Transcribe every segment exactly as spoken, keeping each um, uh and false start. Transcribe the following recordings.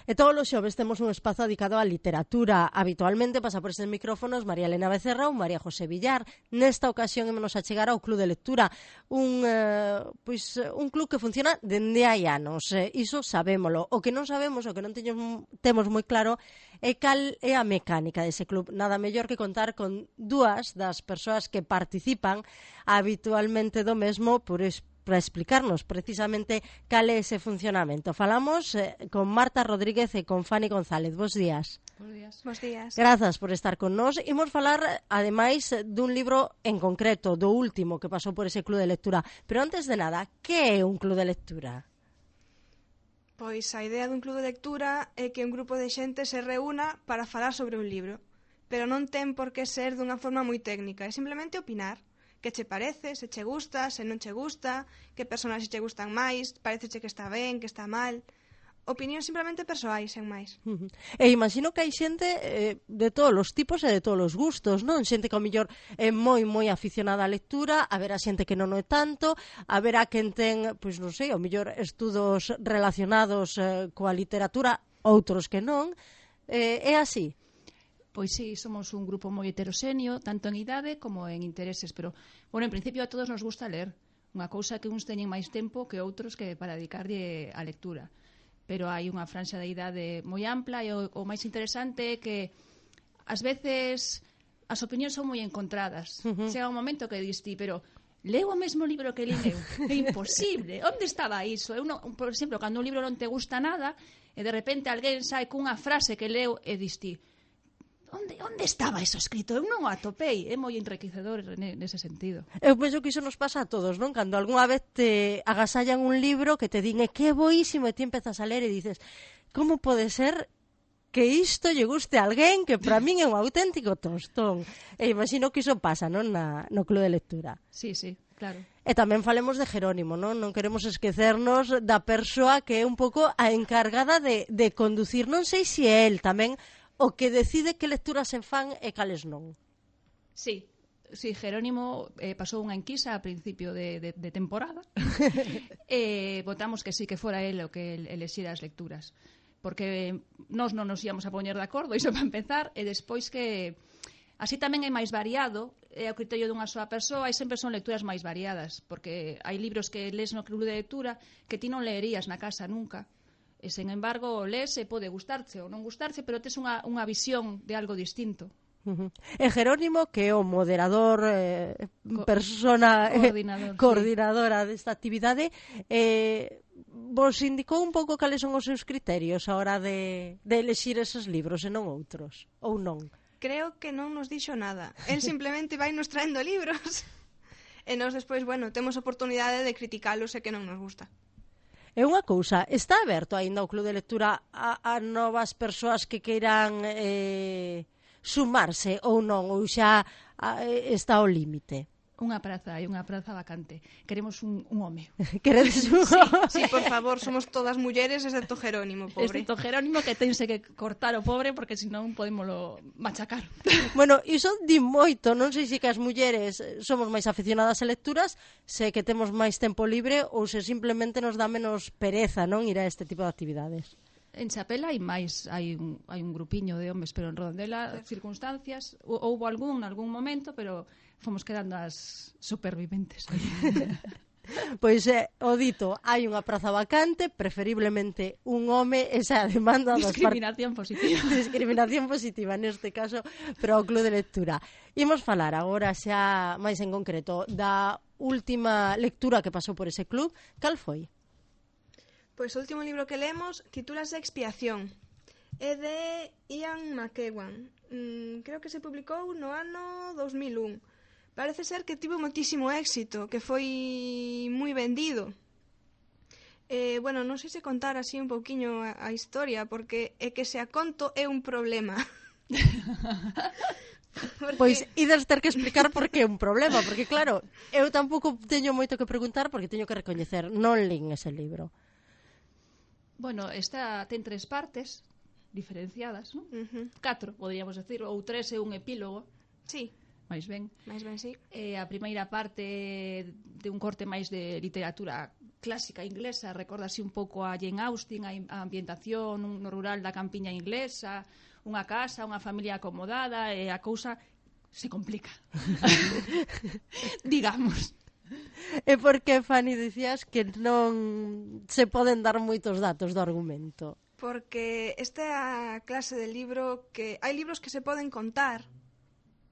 E todos os xoves temos un espazo dedicado á literatura. Habitualmente pasa por estes micrófonos María Elena Becerra ou María José Villar. Nesta ocasión ímonos a chegar ao Club de Lectura, un, eh, pois, un club que funciona dende hai anos. Eh, iso sabémolo. O que non sabemos, o que non teño, temos moi claro, é cal é a mecánica dese club. Nada mellor que contar con dúas das persoas que participan habitualmente do mesmo por es, para explicarnos precisamente cal é ese funcionamento. Falamos eh, con Marta Rodríguez e con Fanny González. Bos días. Bos días. Bos días. Grazas por estar con nós. Imos falar, ademais, dun libro en concreto, do último que pasou por ese club de lectura. Pero antes de nada, que é un club de lectura? Pois a idea dun club de lectura é que un grupo de xente se reúna para falar sobre un libro, pero non ten por que ser dunha forma moi técnica, é simplemente opinar. Que che parece, se che gusta, se non che gusta, que personaxes che gustan máis, parecece que está ben, que está mal. Opinións simplemente persoais, sen máis. Uh -huh. E imagino que hai xente eh, de todos os tipos e de todos os gustos, non? Xente que ao mellor é moi, moi aficionada á lectura, a ver a xente que non é tanto, a ver a quen ten, pois non sei, ao mellor estudos relacionados eh, coa literatura, outros que non. Eh, é así? Pois sí, somos un grupo moi heteroxéneo, tanto en idade como en intereses, pero, bueno, en principio a todos nos gusta ler. Unha cousa que uns teñen máis tempo que outros que para dedicarlle á lectura. Pero hai unha franxa de idade moi ampla e o, o máis interesante é que ás veces as opinións son moi encontradas. Uh -huh. Chega un momento que dis ti, pero leo o mesmo libro que li eu. É imposible. Onde estaba iso? Eu non, por exemplo, cando un libro non te gusta nada e de repente alguén sai cunha frase que leo e dis ti, Onde, onde estaba eso escrito? Eu non o atopei. É moi enriquecedor nese sentido. Eu penso que iso nos pasa a todos, non? Cando algunha vez te agasallan un libro que te din é que é boísimo e ti empezas a ler e dices, como pode ser que isto lle guste a alguén que para min é un auténtico tostón? E imagino que iso pasa, non? Na, no club de lectura. Sí, sí, claro. E tamén falemos de Jerónimo, non? Non queremos esquecernos da persoa que é un pouco a encargada de, de conducir. Non sei se é el tamén o que decide que lecturas se fan e cales non. Sí, sí, Jerónimo eh, pasou unha enquisa a principio de, de, de temporada e eh, votamos que sí, que fora el o que elexira as lecturas, porque nós non nos íamos a poñer de acordo, iso para empezar, e despois que así tamén é máis variado, é o criterio dunha soa persoa e sempre son lecturas máis variadas, porque hai libros que lees no club de lectura que ti non leerías na casa nunca. E, sen embargo, lees e pode gustarche ou non gustarche, pero tes unha, unha visión de algo distinto. Uh -huh. E Jerónimo, que é o moderador, eh, Co persona coordinador, eh, coordinadora sí. desta actividade, eh, vos indicou un pouco cales son os seus criterios a hora de, de elexir esos libros e non outros, ou non? Creo que non nos dixo nada. El simplemente vai nos traendo libros. E nós despois, bueno, temos oportunidade de criticalos e que non nos gusta. É unha cousa, está aberto aínda o club de lectura a, a novas persoas que queiran eh, sumarse ou non, ou xa a, está ao límite? Unha praza, hai unha praza vacante. Queremos un, un home. Queredes un home? Sí, sí, por favor, somos todas mulleres, excepto Jerónimo, pobre. Excepto Jerónimo, que tense que cortar o pobre, porque senón podémolo machacar. Bueno, iso di moito, non sei se que as mulleres somos máis aficionadas a lecturas, se que temos máis tempo libre ou se simplemente nos dá menos pereza, non, ir a este tipo de actividades. En Chapela hai máis, hai un, hai un grupiño de homes, pero en Redondela, circunstancias, houbo algún, en algún momento, pero fomos quedando as superviventes. Pois, eh, o dito, hai unha praza vacante, preferiblemente un home, esa demanda dos discriminación positiva. Discriminación positiva, neste caso, pero ao club de lectura. Imos falar agora xa máis en concreto da última lectura que pasou por ese club. Cal foi? Pois o último libro que lemos titúlase Expiación. É de Ian McEwan. Mm, creo que se publicou no ano dos mil un. Parece ser que tivo moitísimo éxito, que foi moi vendido. Eh, bueno, non sei se contar así un pouquiño a, a historia, porque é que se a conto é un problema. Porque... Pois ides ter que explicar por que é un problema, porque claro, eu tampouco teño moito que preguntar porque teño que recoñecer, non lín ese libro. Bueno, esta ten tres partes diferenciadas, non? Uh -huh. Catro, poderíamos decir, ou tres e un epílogo. Sí. máis ben. máis ben, sí. Eh, a primeira parte de un corte máis de literatura clásica inglesa, recorda así un pouco a Jane Austen, a ambientación no rural da campiña inglesa, unha casa, unha familia acomodada, e a cousa se complica. Digamos. E por que, Fanny, dicías que non se poden dar moitos datos do argumento? Porque esta é a clase de libro que... Hai libros que se poden contar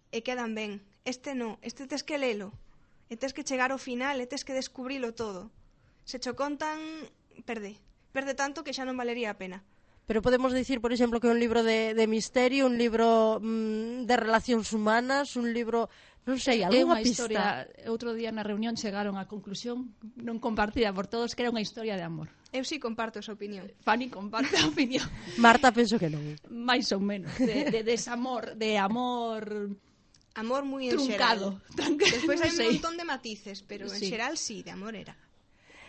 e quedan ben. Este non, este tes que lelo. E tes que chegar ao final e tes que descubrilo todo. Se cho contan, perde. Perde tanto que xa non valería a pena. Pero podemos dicir, por exemplo, que é un libro de, de misterio, un libro mmm, de relacións humanas, un libro, non sei, algunha pista. Historia, outro día na reunión chegaron á conclusión, non compartida por todos, que era unha historia de amor. Eu sí comparto esa opinión. Fanny comparte a opinión. Marta, penso que non. Mais ou menos, de, de desamor, de amor... Amor moi truncado. Truncado. Despois hai un montón de matices, pero en sí. xeral sí, de amor era.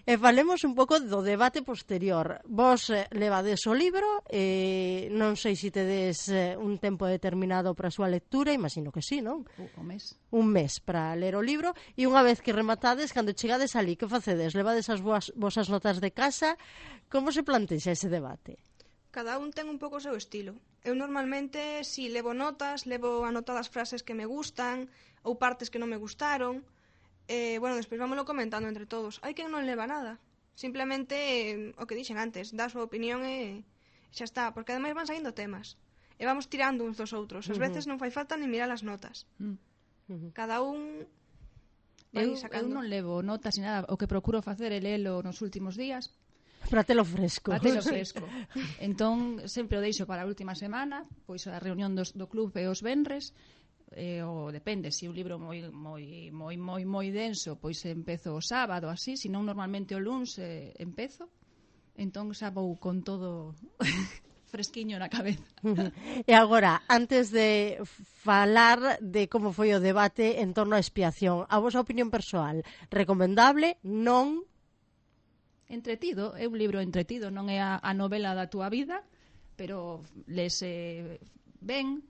E falemos un pouco do debate posterior. Vos eh, levades o libro, eh, non sei se tedes eh, un tempo determinado para a súa lectura, imagino que sí, non? Uh, un mes. Un mes para ler o libro, e unha vez que rematades, cando chegades ali, que facedes? Levades as voas, vosas notas de casa? Como se plantexa ese debate? Cada un ten un pouco o seu estilo. Eu normalmente, si levo notas, levo anotadas frases que me gustan, ou partes que non me gustaron. Eh, bueno, despois vámoslo comentando entre todos. Hai quen non leva nada. Simplemente, eh, o que dixen antes, dá a súa opinión e xa está. Porque ademais van saindo temas. E vamos tirando uns dos outros. Ás veces non fai falta ni mirar as notas. Uh-huh. Cada un vai eu, sacando. Eu non levo notas ni nada. O que procuro facer é lelo nos últimos días. Para telo fresco. Para telo fresco. Entón, sempre o deixo para a última semana, pois a reunión dos, do club e os venres. Eh, o depende, se un libro moi moi moi moi moi denso, pois empezo o sábado así, senón normalmente o luns eh, empezo. Entón xa vou con todo fresquiño na cabeza. E agora, antes de falar de como foi o debate en torno á expiación, a vosa opinión persoal, recomendable, non? Entretido, é un libro entretido, non é a, a novela da túa vida, pero lese ben.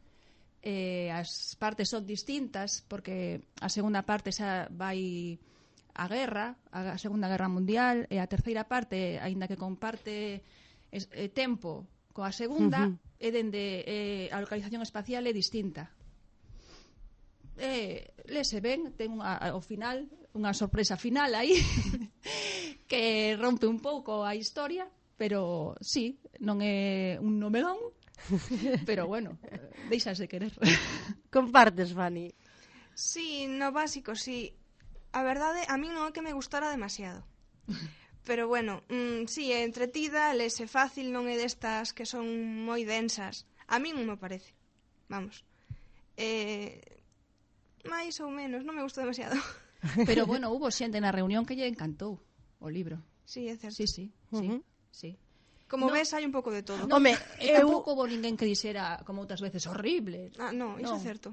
Eh, as partes son distintas porque a segunda parte xa vai a guerra, a Segunda Guerra Mundial, e a terceira parte, aínda que comparte es, eh, tempo coa segunda, uh-huh. é dende eh, a localización espacial é distinta. Eh, lese ben, ten unha, ao final unha sorpresa final aí que rompe un pouco a historia, pero sí, non é un novelón. Pero bueno, deixas de querer. Compartes, Fanny? Sí, no básico, sí. A verdade, a mí non é que me gustara demasiado. Pero bueno, mmm, sí, é entretida, lese fácil, non é destas que son moi densas. A mí non me parece. Vamos. Eh, máis ou menos, non me gustou demasiado. Pero bueno, hubo xente na reunión que lle encantou o libro. Sí, é certo. Sí, sí, uh-huh. sí, sí. Como no, ves, hai un pouco de todo. No, Home, eu... eu... tampouco houve ninguén que dixera, como outras veces, horrible. Ah, no, iso no. é certo.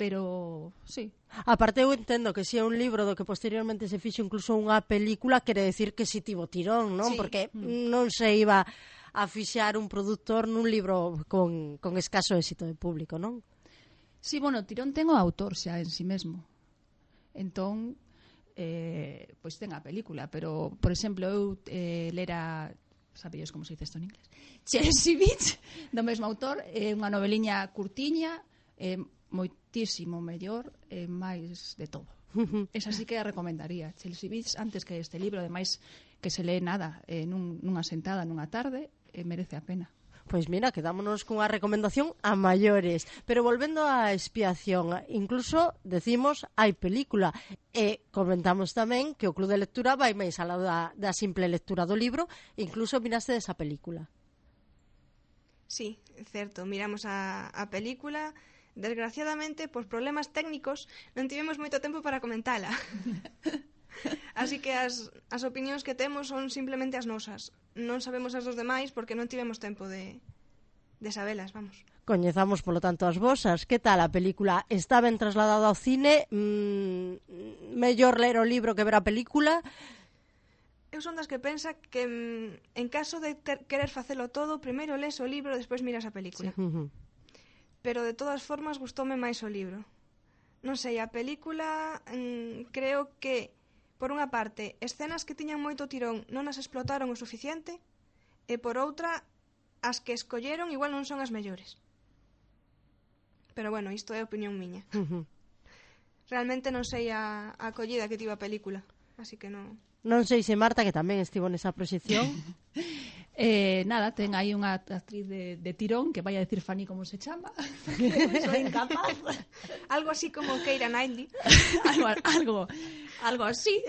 Pero, sí. Aparte, eu entendo que se é un libro do que posteriormente se fixo incluso unha película, quere decir que si tivo tirón, non? Sí. Porque mm. non se iba a fixar un produtor nun libro con, con escaso éxito de público, non? Sí, bueno, tirón ten o autor xa en si mesmo. Entón, eh, pois ten a película, pero, por exemplo, eu eh, lera... sabíos como se dice isto en inglés? Chelsea Beach, do mesmo autor, é unha noveliña curtiña, é moitísimo mellor e máis de todo. Esa sí que a recomendaría. Chelsea Beach, antes que este libro, ademais que se lee nada, eh, nun, nunha sentada, nunha tarde, eh, merece a pena. Pois mira, quedámonos cunha recomendación a maiores. Pero volvendo á expiación, incluso decimos hai película. E comentamos tamén que o Club de Lectura vai máis alá da, da simple lectura do libro, incluso miraste desa película. Sí, é certo, miramos a, a película. Desgraciadamente, por problemas técnicos, non tivemos moito tempo para comentala. Así que as, as opinións que temos son simplemente as nosas. Non sabemos as dos demais porque non tivemos tempo de, de sabelas, vamos. Coñezamos, polo tanto, as vosas. Que tal a película? Está ben trasladada ao cine? Mm, mellor ler o libro que ver a película? Eu son das que pensa que mm, en caso de ter, querer facelo todo, primeiro lees o libro e despois miras a película. Sí. Uh-huh. Pero de todas formas gustoume máis o libro. Non sei, a película mm, creo que por unha parte, escenas que tiñan moito tirón non as explotaron o suficiente, e por outra, as que escolleron igual non son as mellores. Pero bueno, isto é opinión miña. Uh-huh. Realmente non sei a, a acollida que tivo a película, así que non... Non sei se Marta, que tamén estivo nesa proxección. Eh, nada, ten aí unha actriz de, de tirón que vai a decir Fanny como se chama. Soy incapaz. Algo así como Keira Knightley. algo, algo, algo así.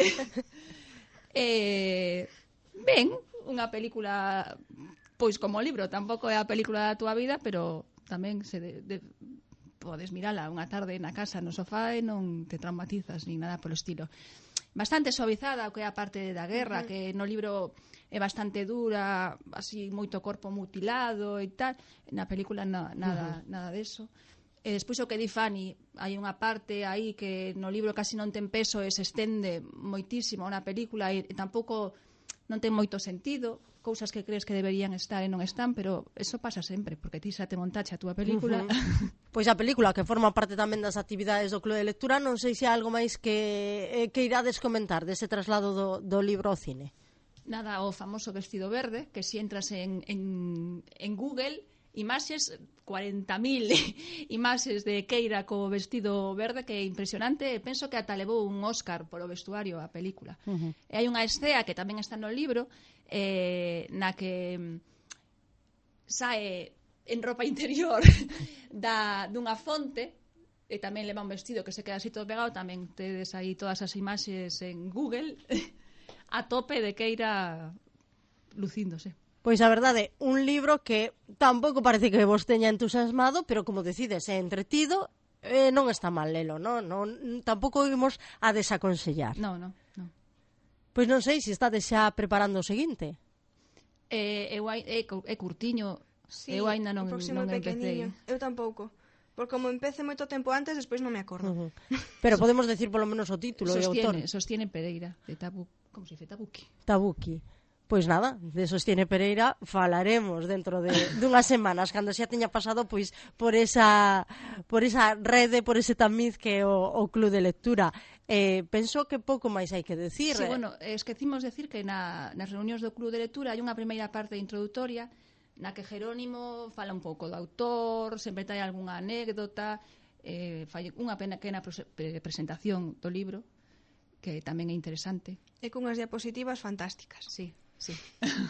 eh, ben, unha película, pois como libro, tampouco é a película da túa vida, pero tamén se de, de, podes mirala unha tarde na casa, no sofá, e non te traumatizas ni nada polo estilo. Bastante suavizada o que é a parte da guerra, uh-huh. que no libro é bastante dura, así moito corpo mutilado e tal. Na película na, nada, uh-huh. nada deso. E despois o que di Fanny, hai unha parte aí que no libro casi non ten peso e se estende moitísimo na película e, e tampouco non ten moito sentido, cousas que crees que deberían estar e non están, pero eso pasa sempre, porque ti xa te montache a túa película. Uh-huh. Pois a película, que forma parte tamén das actividades do Club de Lectura, non sei se hai algo máis que, que irades comentar dese traslado do, do libro ao cine. Nada, o famoso vestido verde, que si entras en, en, en Google, imaxes, cuarenta mil imaxes de Keira co vestido verde, que é impresionante, e penso que ata levou un Óscar polo vestuario a película. Uh-huh. E hai unha escena que tamén está no libro, eh, na que sae en ropa interior da, dunha fonte, e tamén leva un vestido que se queda así todo pegado. Tamén tedes aí todas as imaxes en Google a tope de Keira lucíndose. Pois a verdade, un libro que tampouco parece que vos teña entusiasmado, pero como decides, é entretido, eh, non está mal lelo, non? non tampouco imos a desaconsellar. Non, non, non. Pois non sei se estades xa preparando o seguinte. Eh, eu, é, é curtiño, sí, eu ainda non, non empecé. Eu tampouco. Porque como empece moito tempo antes, despois non me acordo. Uh-huh. Pero podemos decir polo menos o título e o autor. Sostiene Pereira, de Tabu, como se dice, Tabuki. Tabuki. Pois nada, de Sostiene Pereira falaremos dentro de dunhas semanas, cando xa teña pasado pois por esa por esa rede, por ese tamiz que é o, o Club de Lectura. Eh, penso que pouco máis hai que decir. Sí, bueno, esquecimos decir que na, nas reunións do Club de Lectura hai unha primeira parte introdutoria na que Jerónimo fala un pouco do autor, sempre trae algunha anécdota, eh, fai unha pequena presentación do libro, que tamén é interesante. E cunhas diapositivas fantásticas. Sí. Sí.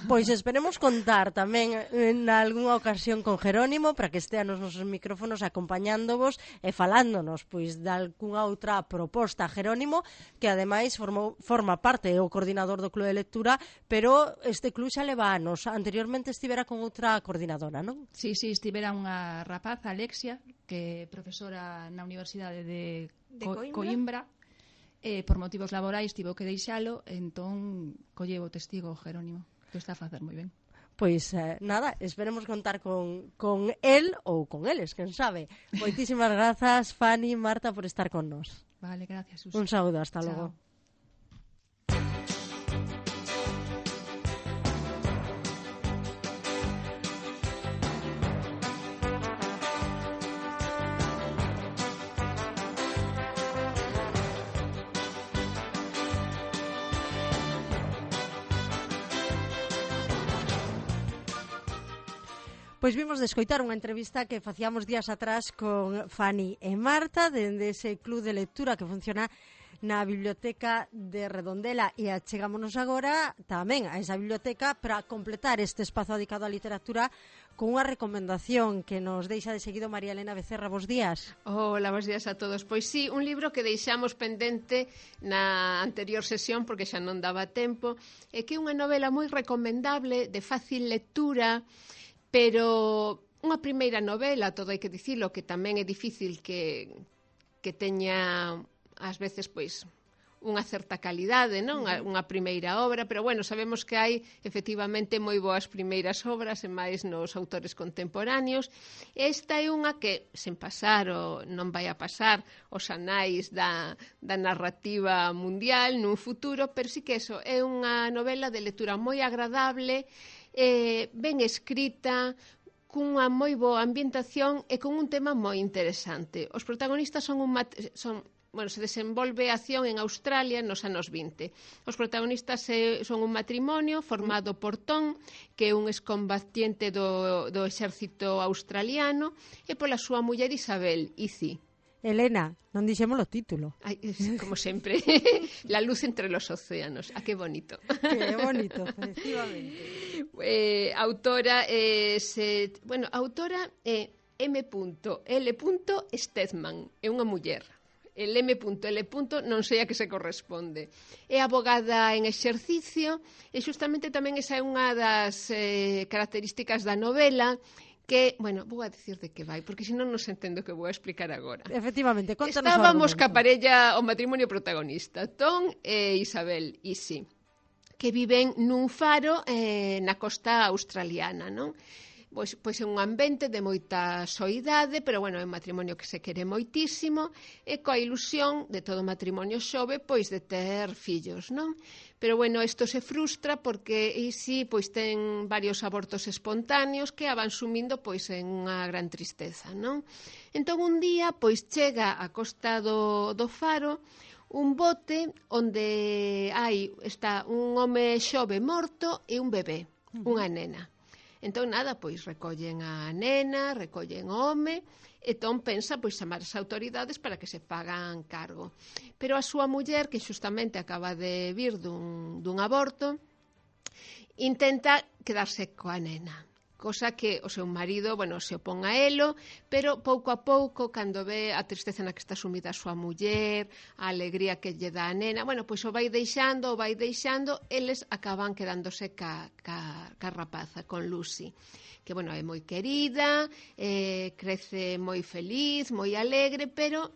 Pois esperemos contar tamén en algunha ocasión con Jerónimo para que estea nos nosos micrófonos acompañándovos e falándonos pois de algunha outra proposta. Jerónimo, que ademais formou, forma parte o coordinador do Club de Lectura, pero este club xa leva anos. Anteriormente estivera con outra coordinadora, non? Sí, sí, estivera unha rapaza, Alexia, que é profesora na Universidade de, de Co- Coimbra, Coimbra. Eh, por motivos laborais tivo que deixalo, entón colleu o testigo Jerónimo, que está a facer moi ben. Pois eh, nada, esperemos contar con, con él ou con eles, quen sabe. Moitísimas grazas, Fanny, Marta, por estar con nos. Vale, gracias, Susi. Un saúdo, hasta Chao. logo. Pois vimos de escoitar unha entrevista que facíamos días atrás con Fanny e Marta dende ese club de lectura que funciona na biblioteca de Redondela, e achegámonos agora tamén a esa biblioteca para completar este espazo dedicado á literatura con unha recomendación que nos deixa de seguido María Elena Becerra. Bos días. Hola, bos días a todos. Pois sí, un libro que deixamos pendente na anterior sesión porque xa non daba tempo, e que é unha novela moi recomendable, de fácil lectura, pero unha primeira novela, todo hai que dicilo, que tamén é difícil que, que teña ás veces pois unha certa calidade, non? Unha primeira obra, pero bueno, sabemos que hai efectivamente moi boas primeiras obras e máis nos autores contemporáneos. Esta é unha que, sen pasar o non vai a pasar os anais da, da narrativa mundial nun futuro, pero sí que eso é unha novela de lectura moi agradable, eh, ben escrita, cunha moi boa ambientación e con un tema moi interesante. Os protagonistas son, un mat- son bueno, se desenvolve a acción en Australia nos anos vinte. Os protagonistas eh, son un matrimonio formado por Tom, que é un excombatiente do, do exército australiano, e pola súa muller Isabel, Izzy. Elena, non dixemos o título. Ay, como sempre, la luz entre los océanos. Ah, que bonito. Que bonito, efectivamente. Eh, autora, eh, se, bueno, autora é eh, M L Stedman, é unha muller. El M L non sei a que se corresponde. É abogada en exercicio e xustamente tamén esa é unha das eh, características da novela, que, bueno, vou a decir de que vai, porque senón non se entendo que vou a explicar agora. Efectivamente, contanos Estábamos ca parella, o matrimonio protagonista, Tom e Isabel, Izzy, que viven nun faro eh, na costa australiana, non? Pois, pois é un ambiente de moita soidade, pero, bueno, é un matrimonio que se quere moitísimo, e coa ilusión de todo matrimonio xove, pois de ter fillos, non? Pero, bueno, isto se frustra porque Izzy pois ten varios abortos espontáneos que a van sumindo pois en unha gran tristeza, non? Entón, un día, pois chega a costa do, do faro un bote onde hai está un home xove morto e un bebé, unha nena. Entón, nada, pois recollen a nena, recollen o home, e Tom pensa pois chamar as autoridades para que se fagan cargo. Pero a súa muller, que xustamente acaba de vir dun, dun aborto, intenta quedarse coa nena, cosa que o seu marido, bueno, se opón a elo, pero pouco a pouco, cando ve a tristeza na que está sumida a súa muller, a alegría que lle dá a nena, bueno, pois o vai deixando, o vai deixando, eles acaban quedándose ca, ca, ca rapaza, con Lucy, que, bueno, é moi querida, eh, crece moi feliz, moi alegre, pero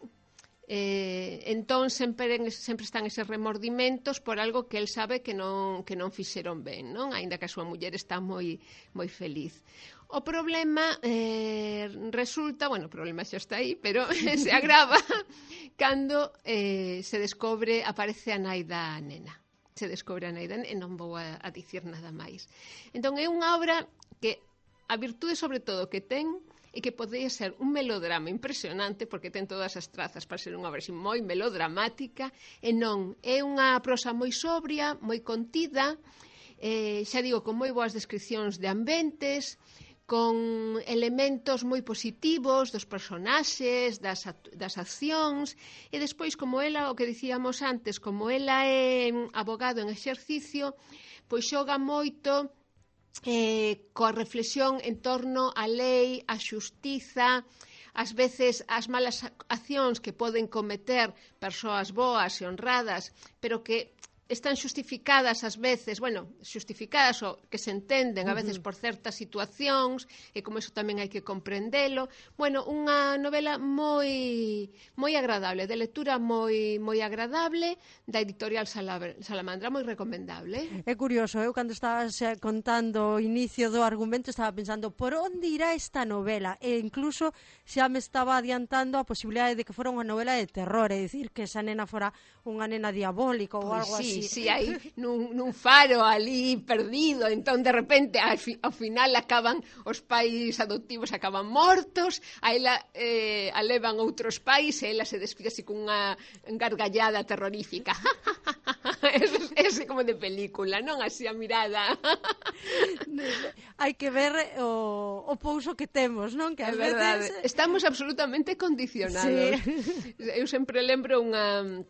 eh, entón sempre, sempre están eses remordimentos por algo que el sabe que non, que non fixeron ben, non? Aínda que a súa muller está moi, moi feliz. O problema eh, resulta, bueno, o problema xa está aí, pero se agrava cando eh, se descobre, aparece a nai da nena. Se descobre a nai da nena, e non vou a, a dicir nada máis. Entón é unha obra que a virtude sobre todo que ten e que podría ser un melodrama impresionante, porque ten todas as trazas para ser unha obra moi melodramática, e non, é unha prosa moi sobria, moi contida, eh, xa digo, con moi boas descripcións de ambientes, con elementos moi positivos dos personaxes, das, das accións, e despois, como ela, o que dicíamos antes, como ela é abogado en exercicio, pois xoga moito Eh, coa reflexión en torno á lei, á xustiza, ás veces as malas accións que poden cometer persoas boas e honradas, pero que están xustificadas ás veces, bueno, xustificadas ou que se entenden a veces por certas situacións, e como eso tamén hai que comprendelo. Bueno, unha novela moi moi agradable, de lectura moi moi agradable, da editorial Salamandra, moi recomendable. É curioso, eu cando estabas contando o inicio do argumento estaba pensando por onde irá esta novela, e incluso xa me estaba adiantando a posibilidade de que fora unha novela de terror, é dicir, que esa nena fora unha nena diabólica ou pues algo sí, así. Sí, aí nun, nun faro ali perdido, entón de repente ao, fi, ao final acaban os pais adoptivos acaban mortos, a ela eh, a levan outros pais e ela se despide así cunha gargallada terrorífica. Ese, ese como de película, non? Así a mirada. Hai que ver o, o pouso que temos, non? Que é verdade, veces... estamos absolutamente condicionados. Sí. Eu sempre lembro unha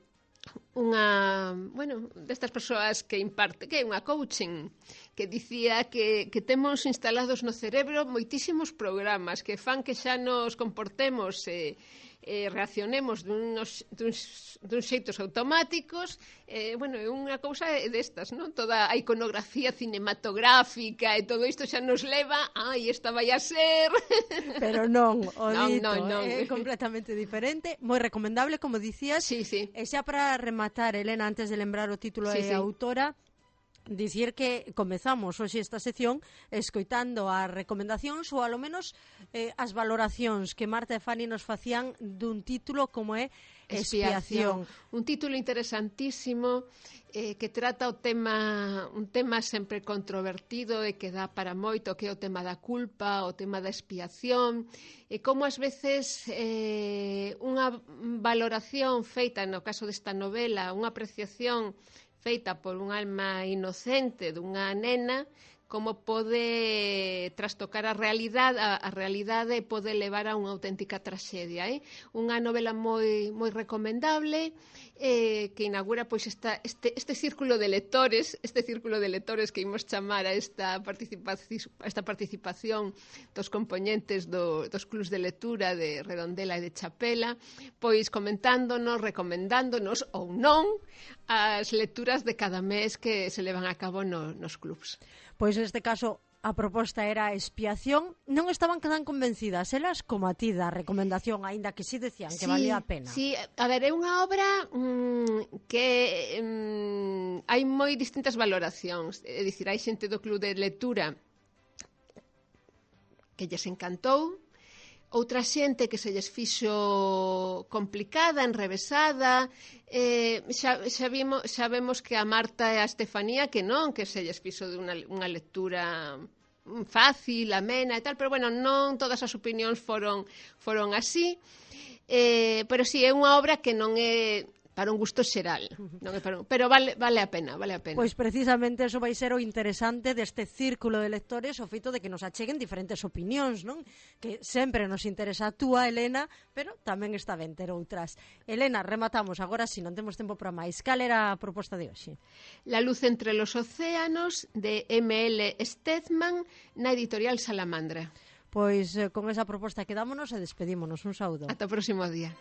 unha, bueno, destas persoas que imparte, que é unha coaching, que dicía que, que temos instalados no cerebro moitísimos programas que fan que xa nos comportemos e eh, reaccionemos duns, duns, duns xeitos automáticos. Eh, bueno, é unha cousa destas, non? Toda a iconografía cinematográfica e todo isto xa nos leva, ai, esta vai a ser. Pero non, o non, dito, non, non. é completamente diferente, moi recomendable, como dicías. Sí, sí. E xa para rematar, Elena, antes de lembrar o título sí, e sí. a autora, dicir que comezamos hoxe esta sección escoitando as recomendacións ou alo menos eh, as valoracións que Marta e Fanny nos facían dun título como é Expiación. Expiación. Un título interesantísimo eh, que trata o tema un tema sempre controvertido e que dá para moito, que é o tema da culpa, o tema da expiación, e como ás veces eh, unha valoración feita no caso desta novela, unha apreciación feita por un alma inocente dunha nena, como pode trastocar a realidade, a, a realidade e pode levar a unha auténtica traxedia. Eh? Unha novela moi moi recomendable, eh, que inaugura pois esta, este, este círculo de lectores, este círculo de lectores que imos chamar a esta participación, a esta participación dos componentes do, dos clubs de lectura de Redondela e de Chapela, pois comentándonos, recomendándonos ou non as lecturas de cada mes que se levan a cabo no, nos clubs. Pois neste caso a proposta era Expiación. Non estaban tan convencidas elas como a ti da recomendación, aínda que si sí decían que sí, valía a pena. Sí, a ver, é unha obra mmm, que mmm, hai moi distintas valoracións. É dicir, hai xente do club de lectura que lles encantou, outra xente que se lles fixo complicada, enrevesada, eh, xa, xa, vimos, xa vemos que a Marta e a Estefanía que non, que se lles fixo de unha, unha lectura fácil, amena e tal, pero bueno, non todas as opinións foron, foron así, eh, pero sí, é unha obra que non é para un gusto xeral, non é para un... pero vale, vale a pena, vale a pena. Pois precisamente eso vai ser o interesante deste círculo de lectores, o feito de que nos acheguen diferentes opinións, non? Que sempre nos interesa a túa, Elena, pero tamén está ben ter outras. Elena, rematamos agora, si non temos tempo para máis. Cal era a proposta de hoxe? La luz entre los océanos, de eme ele Steadman, na editorial Salamandra. Pois eh, con esa proposta quedámonos e despedímonos. Un saúdo. Ata o próximo día.